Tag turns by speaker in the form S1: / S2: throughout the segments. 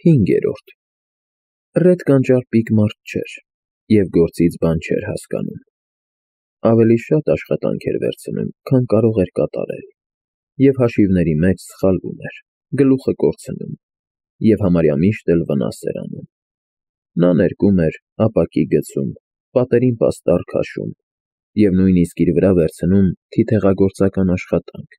S1: 5. Ռեդ կանճարպիկ մարդ չէր և գործից բան չէր հասկանում. ավելի շատ աշխատանք էր վերցնում, քան կարող էր կատարել, և հաշիվների մեջ սխալվում էր, գլուխը կորցնում, և համարյա միշտ էլ վնաս էր անում. նա ներկում էր, ապակի գցում, պատերին պաստառ քաշում և նույնիսկ իր վրա վերցնում թիթեղագործական աշխատանք,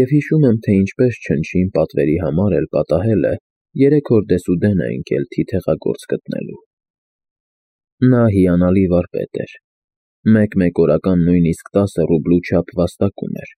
S1: և հիշում եմ, թե ինչպես չնչին պատվերի համար էլ պատահել է 3 օր դեսուդեն է ընկել թիթեղագործ գտնելու։ Նա հիանալի վարպետ էր, մեկ օրական նույնիսկ 10 ռուբլու չափ վաստակում էր,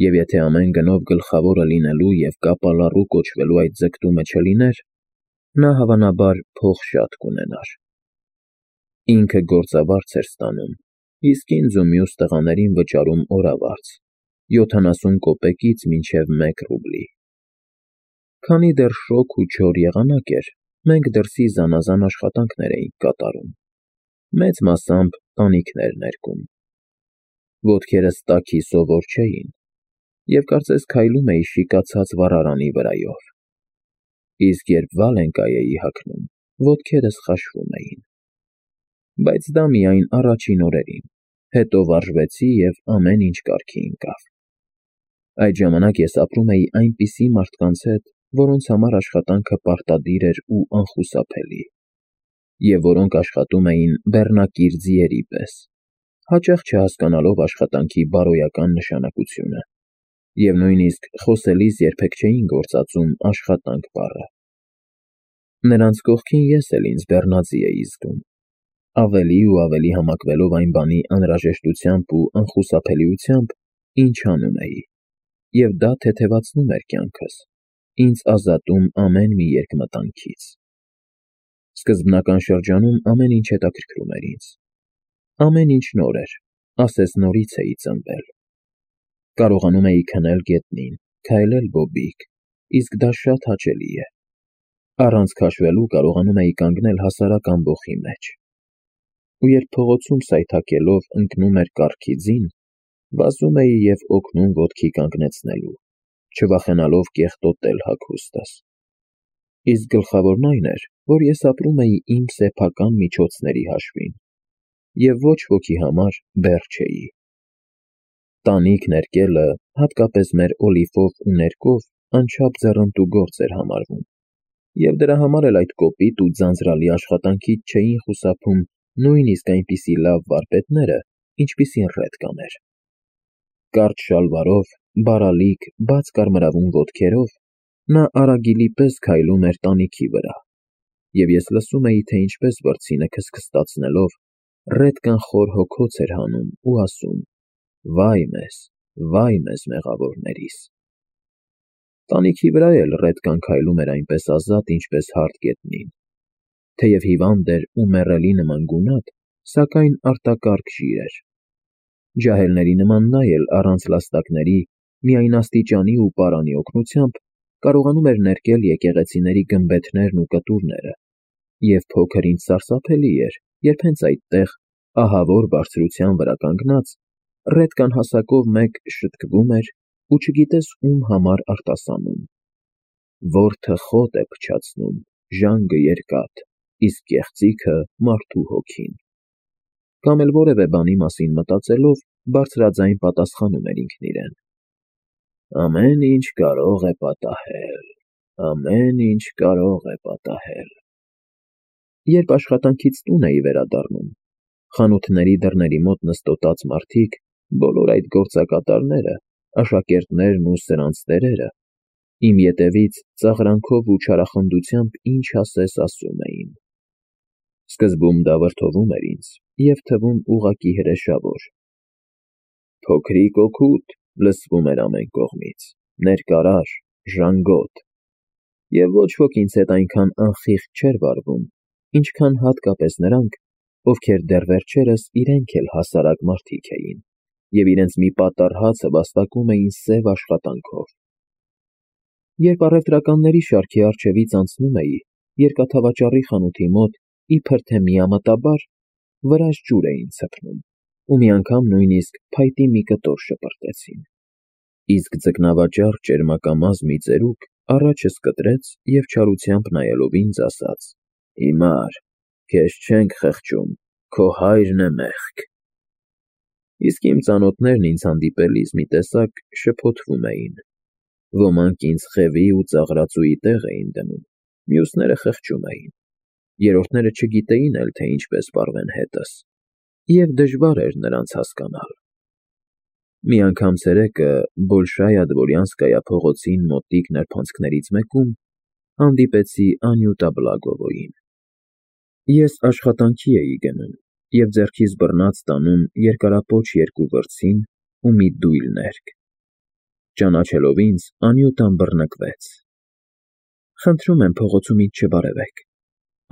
S1: և եթե ամեն գնով գլխավորը լինելու և կապալառու կոչվելու այդ ձգտումը չլիներ, նա հավանաբար փող շատ կունենար։ Ինքը գործավարձ էր ստանում, իսկ ինձ ու մյուս տղաներին վճարում օրավարձ 70 կոպեկից մինչև 1 ռուբլի։ Քանի դեռ շոգ ու չոր եղանակ էր, մենք դրսի զանազան աշխատանքներ էինք կատարում, մեծ մասամբ տանիքներ ներկում։ Ոտքերս տաքի սովոր չէին, և կարծես քայլում էի շիկացած վառարանի վրայով, իսկ երբ վալենկա էի հագնում, ոտքերս խաշվում էին։ Բայց դա միայն առաջին օրերին, հետո վարժվեցի և ամեն ինչ կարգի ընկավ։ Այդ ժամանակ ես ապրում էի այնպիսի մարդկանց հետ, որոնց համար աշխատանքը պարտադիր էր ու անխուսափելի, և որոնք աշխատում էին բեռնակիր ձիերի պես, հաճախ չհասկանալով աշխատանքի բարոյական նշանակությունը, և նույնիսկ խոսելիս երբեք չէին գործածում աշխատանք բառը։ Նրանց կողքին ես էլ ինձ բեռնածի էի զգում, ավելի ու ավելի համակվելով այն բանի անհրաժեշտությամբ ու անխուսափելիությամբ, ինչ անում էի, և դա թեթևացնում էր կյանքս, ինձ ազատում ամեն մի երկմտանքից։ Սկզբնական շրջանում ամեն ինչ հետաքրքրում էր ինձ։ Ամեն ինչ նոր էր, ասես նորից էի ծնվել։ Կարողանում էի քնել գետնին, քայլել բոբիկ, իսկ դա շատ հաճելի է։ Առանց քաշվելու կարողանում էի կանգնել հասարակ ամբոխի մեջ։ Ու երբ փողոցում սայթաքելով ընկնում էր կառքի ձին, վազում էի և օգնում ոտքի կանգնեցնելու, չվախենալով կեղտոտել հագուստս։ Իսկ գլխավորն այն էր, որ ես ապրում էի իմ սեփական միջոցների հաշվին, և ոչ ոքի համար բեռ չէի։ Տանիք ներկելը, հատկապես մեր Օլիվով ու ներկով, անչափ ձեռնտու գործ էր համարվում, և դրա համար էլ այդ կոպիտ ու ձանձրալի աշխատանքից չէին խուսափում նույնիսկ այնպիսի լավ վարպետները, ինչպիսին Ռեդկան էր։ Կարճ շալվարով, բարալիկ, բաց կարմրավուն ոտքերով նա արագիլի պես քայլում էր տանիքի վրա, և ես լսում էի, թե ինչպես վրձինը քստքստացնելով Ռեդկան խոր հոգոց էր հանում ու ասում. «Վայ մեզ մեղավորներիս»։ Տանիքի վրա էլ Ռեդկան քայլում էր այնպես ազատ, ինչպես հարթ գետնին, թեև հիվանդ էր ու մեռելի նման գունատ, սակայն արտակարգ ժիր էր։ Ջահելների նման նա էլ առանց լաստակների, միայն աստիճանի ու պարանի օգնությամբ կարողանում էր ներկել եկեղեցիների գմբեթներն ու կտուրները, և փոքր ինչ սարսափելի էր, երբ հենց այդտեղ, ահավոր բարձրության վրա կանգնած, Ռեդկան հասակով մեկ շտկվում էր ու չգիտես ում համար արտասանում. «Որդը խոտ է փչացնում, ժանգը երկաթ, իսկ կեղծիքը մարդու հոգին»։ Կամ էլ որևէ բանի մասին մտածելով, բարձրաձայն պատասխանում էր ինքն իրեն. «Ամեն ինչ կարող է պատահել, ամեն ինչ կարող է պատահել»։ Երբ աշխատանքից տուն էի վերադառնում, խանութների դռների մոտ նստոտած մարդիկ, բոլոր այդ գործակատարները, աշակերտներն ու սրանց տերերը, իմ ետևից ծաղրանքով ու չարախնդությամբ ինչ ասես ասում էին։ Սկզբում դա վրդովում էր ինձ և թվում ուղղակի հրեշավոր։ «Փոքրիկ օգուտ», լսվում էր ամեն կողմից, «ներկարար, ժանգոտ», և ոչ ոք ինձ հետ այնքան անխիղճ չէր վարվում, ինչքան հատկապես նրանք, ովքեր դեռ վերջերս իրենք էլ հասարակ մարդիկ էին, և իրենց մի պատառ հացը վաստակում էին սև աշխատանքով։ Երբ առևտրականների շարքի առջևից անցնում էի, երկաթավաճառի խանութի մոտ, իբր թե միամտաբար, վրաս ջուր էին ցփում, ու մի անգամ նույնիսկ փայտի մի կտոր շպրտեցին։ Իսկ ձկնավաճառ ճերմակամազ մի ծերուկ առաջս կտրեց և չարությամբ նայելով ինձ ասաց. «Հիմար, քեզ չենք խղճում, քո հայրն է մեղք»։ Իսկ իմ ծանոթներն ինձ հանդիպելիս մի տեսակ շփոթվում էին. ոմանք ինձ խևի ու ծաղրածուի տեղ էին դնում, մյուսները խղճում էին, երրորդները չգիտեին էլ, թե ինչպես պարվեն հետս, և դժվար էր նրանց հասկանալ։ Մի անգամ ցերեկը Բոլշայա Դվորյանսկայա փողոցին մոտիկ նրբանցքներից մեկում հանդիպեցի Անյուտա Բլագովոյին։ Ես աշխատանքի էի գնում և ձեռքիս բռնած տանում երկարապոչ երկու վրձին ու մի դույլ ներք։ Ճանաչելով ինձ, Անյուտան բռնկվեց։ «Խնդրում եմ փողոցում ինձ չբարևեք»,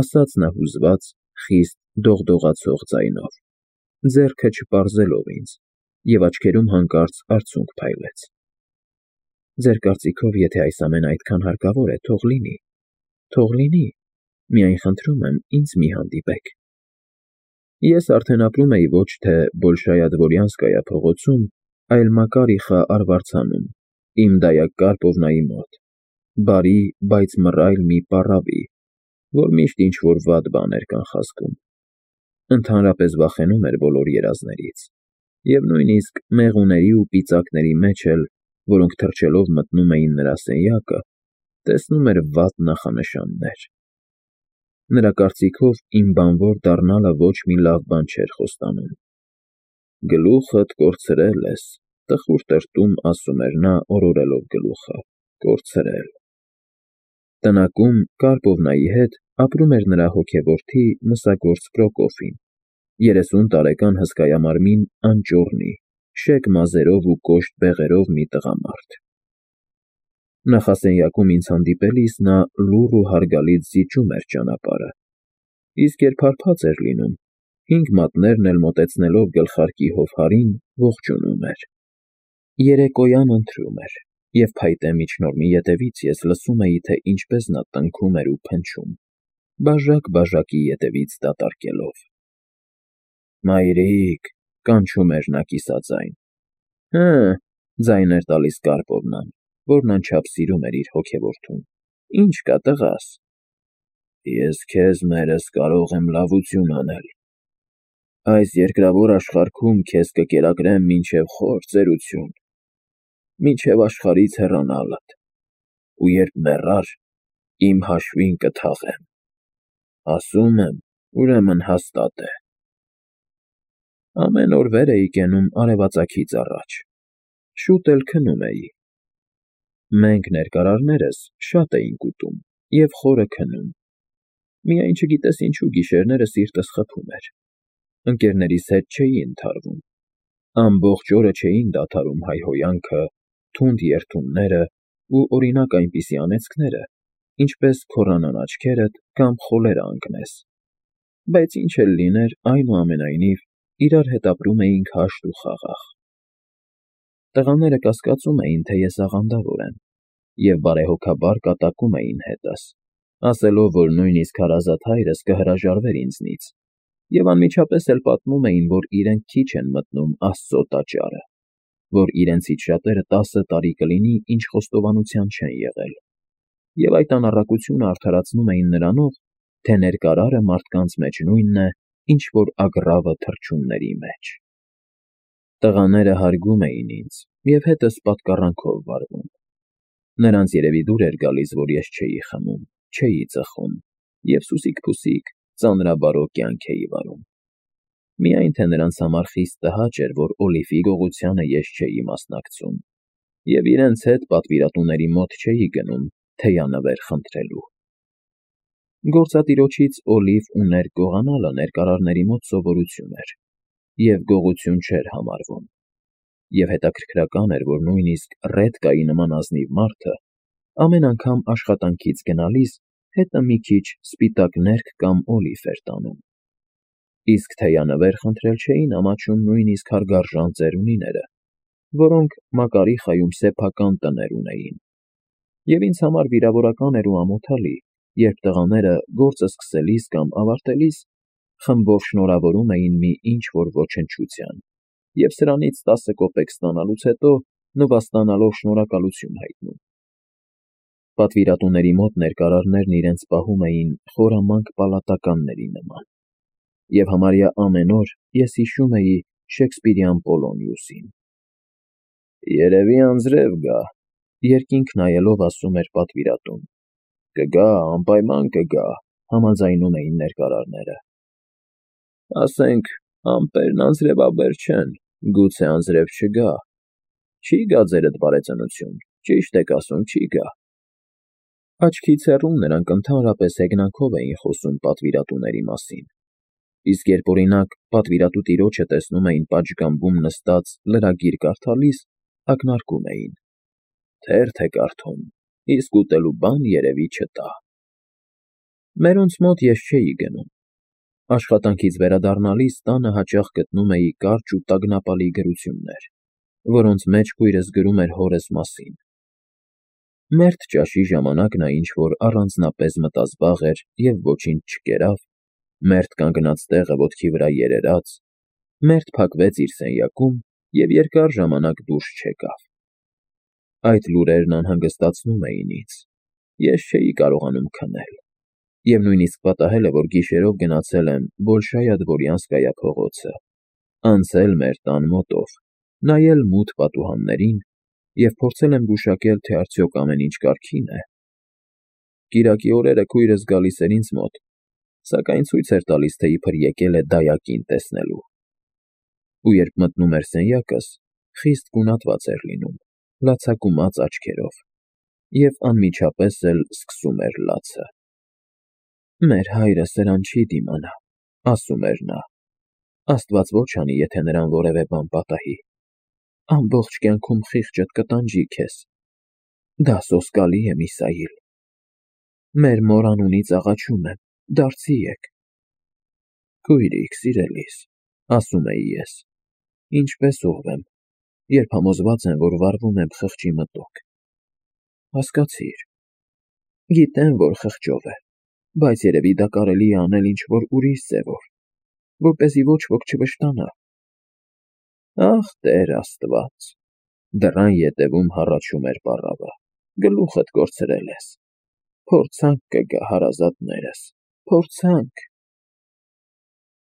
S1: ասաց նա հուզված, խիստ դողդողացող ձայնով, ձեռքը չպարզելով ինձ, և աչքերում հանկարծ արցունք փայլեց։ «Ձեր կարծիքով, եթե այս ամենը այդքան հարկավոր է, թող լինի, միայն խնդրում եմ, ինձ մի հանդիպեք»։ Ես արդեն ապրում էի ոչ թե Բոլշայա Դվորյանսկայա փողոցում, այլ Մակարիխա արվարձանում, իմ դայակ Կարպովնայի մոտ, բարի, բայց մռայլ մի պառավի, որ միշտ ինչ-որ վատ բան էր կանխազգում։ Ընդհանրապես վախենում էր բոլոր երազներից, և նույնիսկ մեղուների ու ծիծակների մեջ էլ, որոնք թռչելով մտնում էին նրա սենյակը, տեսնում էր վատ նախանշաններ։ Նրա կարծիքով իմ բանվոր դառնալը ոչ մի լավ բան չէր խոստանում։ «Գլուխդ կորցրել ես, տխուր տրտում», ասում էր նա, օրորելով գլուխը, «կորցրել»։ Տնակում Կարպովնայի հետ ապրում էր նրա հոգեորդի մսագործ Պրոկոֆին, 30 տարեկան հսկայամարմին անճոռնի, շեկ մազերով ու կոշտ բեղերով մի տղամարդ։ Նախասենյակում ինձ հանդիպելիս նա լուռ ու հարգալից զիջում էր ճանապարհը, իսկ երբ հարբած էր լինում, 5 մատներն էլ մոտեցնելով գլխարկի հովհարին, ողջունում էր։ Երեկոյան ընթրում էր, և փայտե միջնորմի ետևից ես լսում էի, թե ինչպես նա տնքում էր ու փնչում, բաժակ-բաժակի ետևից դատարկելով։ «Մայրիկ», կանչում էր նա կիսաձայն։ «Հը», ձայն էր տալիս Կարպովնան, որն անչափ սիրում էր իր հոգեորդուն, «ինչ կա, տղաս»։ «Ես քեզ, մերս, կարող եմ լավություն անել։ Այս երկրավոր աշխարհքում քեզ կկերակրեմ մինչև խոր ծերություն, մինչև աշխարհից հեռանալդ, ու երբ մեռար, իմ հաշվին կթաղեմ։ Ասում եմ, ուրեմն հաստատ է»։ Ամեն օր վեր էի կենում արևածագից առաջ, շուտ էլ քնում էի։ Մենք ներկարարներս շատ էինք ուտում և խորը քնում, միայն չգիտես ինչու գիշերները սիրտս խփում էր։ Ընկերներիս հետ չէի ընդհարվում, ամբողջ օրը չէին դադարում հայհոյանքը, թունդ երդումները ու օրինակ այնպիսի անեծքները, ինչպես քոռանան աչքերդ կամ խոլերը ընկնես, բայց ինչ էլ լիներ, այնուամենայնիվ իրար հետ ապրում էինք հաշտ ու խաղաղ։ Տղաները կասկածում էին, թե ես աղանդավոր եմ, և բարեհոգաբար կատակում էին հետս, ասելով, որ նույնիսկ հարազատ հայրս կհրաժարվեր ինձնից, և անմիջապես էլ պատմում էին, որ իրենք քիչ են մտնում Աստծո տաճարը, որ իրենցից շատերը 10 տարի կլինի, ինչ խոստովանության չեն եղել, և այդ անառակությունը արդարացնում էին նրանով, թե ներկարարը մարդկանց մեջ նույնն է, ինչ որ ագռավը թռչունների մեջ։ Տղաները հարգում էին ինձ և հետս պատկառանքով վարվում։ Նրանց երևի դուր էր գալիս, որ ես չէի խմում, չէի ծխում և սուսիկ֊փուսիկ, ծանրաբարո կյանք էի վարում։ Միայն թե նրանց համար խիստ տհաճ էր, որ Օլիվի գողությանը ես չէի մասնակցում, և իրենց հետ պատվիրատուների մոտ չէի գնում թեյանվեր խնդրելու։ Գործատիրոջից օլիվ ու ներք գողանալը ներկարարների մոտ սովորություն էր և գողություն չէր համարվում, և հետաքրքրական էր, որ նույնիսկ Ռեդկայի նման ազնիվ մարդը ամեն անգամ աշխատանքից գնալիս հետը մի քիչ սպիտակ ներք կամ օլիվ էր տանում։ Իսկ թեյանվեր խնդրել չէին ամաչում նույնիսկ հարգարժան ծերունիները, որոնք Մակարիխայում սեփական տներ ունեին, և ինձ համար վիրավորական էր ու ամոթալի, երբ տղաները գործը սկսելիս կամ ավարտելիս խմբով շնորհավորում էին մի ինչ-որ ոչնչության և սրանից 10 կոպեկ ստանալուց հետո նվաստանալով շնորհակալություն հայտնում։ Պատվիրատուների մոտ ներկարարներն իրենց պահում էին խորամանկ պալատականների նման, և համարյա ամեն օր ես հիշում էի Շեքսպիրյան Պոլոնիուսին։ «Երևի անձրև գա», երկինք նայելով ասում էր պատվիրատուն։ «Կգա, անպայման կգա», համաձայնում էին ներկարարները։ «Ասենք, ամպերն անձրևաբեր չեն, գուցե անձրև չգա։ Չի գա ձերդ բարեծնություն, ճիշտ եք ասում, չի գա»։ Աչքից հեռու նրանք ընդհանրապես հեգնանքով էին խոսում պատվիրատուների մասին, իսկ երբ օրինակ պատվիրատու տիրոջը տեսնում էին պատշգամբում նստած լրագիր կարդալիս, ակնարկում էին. «Թերթ է կարդում, իսկ ուտելու բան երևի չտա»։ Մերոնց մոտ ես չէի գնում։ Աշխատանքից վերադառնալիս տանը հաճախ գտնում էի կարճ ու տագնապալի գրություններ, որոնց մեջ քույրս գրում էր հորս մասին։ Մերթ ճաշի ժամանակ նա ինչ-որ առանձնապես մտազբաղ էր և ոչինչ չկերավ, մերթ կանգնած տեղը ոտքի վրա երերաց, մերթ փակվեց իր սենյակում և երկար ժամանակ դուրս չեկավ։ Այդ լուրերն անհանգստացնում էին ինձ, ես չէի կարողանում քնել, և նույնիսկ պատահել է, որ գիշերով գնացել եմ Բոլշայա-Դվորյանսկայա փողոցը, անցել մեր տան մոտով, նայել մութ պատուհաններին և փորձել եմ գուշակել, թե արդյոք ամեն ինչ կարգի՞ն է։ Կիրակի օրերը քույրս գալիս էր ինձ մոտ, սակայն ցույց էր տալիս, թե իբր եկել է դայակին տեսնելու։ Ու երբ մտնում էր սենյակս, խիստ գունատված էր լինում, լացակումած աչքերով, և անմիջապես էլ սկսում էր լացը։ «Մեր հայրը սրան չի դիմանա», ասում էր նա։ «Աստված ոչ անի, եթե նրան որևէ բան պատահի։ Ամբողջ կյանքում խիղճդ կտանջի քեզ։ Դա սոսկալի է, Միսայիլ։ Մեր մոր անունից աղաչում եմ, դարձի եկ»։ «Քույրիկ, սիրելիս», ասում էի ես, «ինչպես ուղղվեմ, երբ համոզված եմ, որ վառվում եմ խղճի մտոք»։ «Հասկացիր։ Գիտեմ, որ խղճով է, բայց երևի դա կարելի է անել ինչ֊որ ուրիշ ձևով, որպեսզի ոչ ոք չվշտանա»։ «Ախ, Տեր Աստված», դռան ետևում հառաչում էր պառավը, «գլուխդ կորցրել ես։ Փորձանք կգա, հարազատներս, փորձանք»։